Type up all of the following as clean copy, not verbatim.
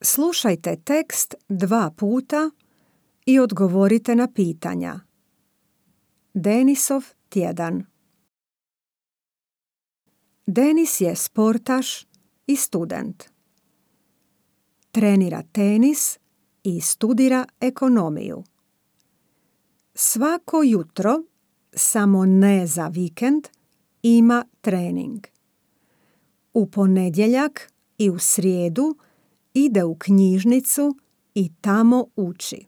Slušajte tekst 2 puta i odgovorite na pitanja. Denisov tjedan. Denis je sportaš i student. Trenira tenis i studira ekonomiju. Svako jutro, samo ne za vikend, ima trening. U ponedjeljak i u srijedu ide u knjižnicu i tamo uči.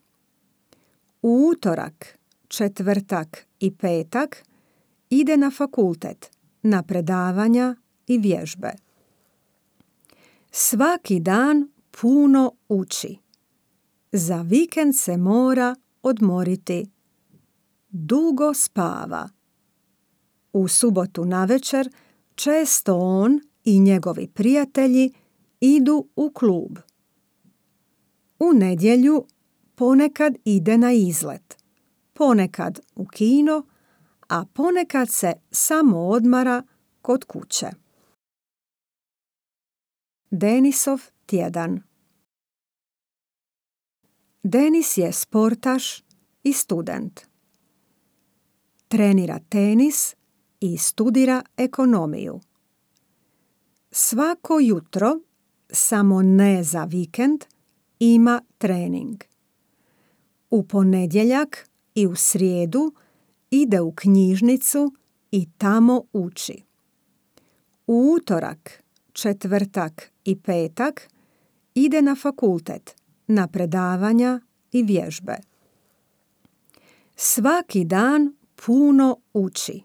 U utorak, četvrtak i petak ide na fakultet, na predavanja i vježbe. Svaki dan puno uči. Za vikend se mora odmoriti. Dugo spava. U subotu navečer često on i njegovi prijatelji idu u klub. U nedjelju ponekad ide na izlet, ponekad u kino, a ponekad se samo odmara kod kuće. Denisov tjedan. Denis je sportaš i student. Trenira tenis i studira ekonomiju. Svako jutro, samo ne za vikend, ima trening. U ponedjeljak i u srijedu ide u knjižnicu i tamo uči. U utorak, četvrtak i petak ide na fakultet, na predavanja i vježbe. Svaki dan puno uči.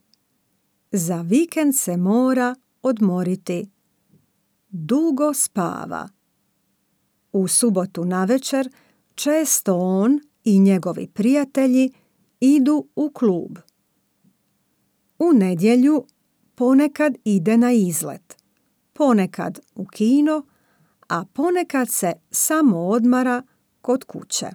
Za vikend se mora odmoriti. Dugo spava. U subotu navečer često on i njegovi prijatelji idu u klub. U nedjelju ponekad ide na izlet, ponekad u kino, a ponekad se samo odmara kod kuće.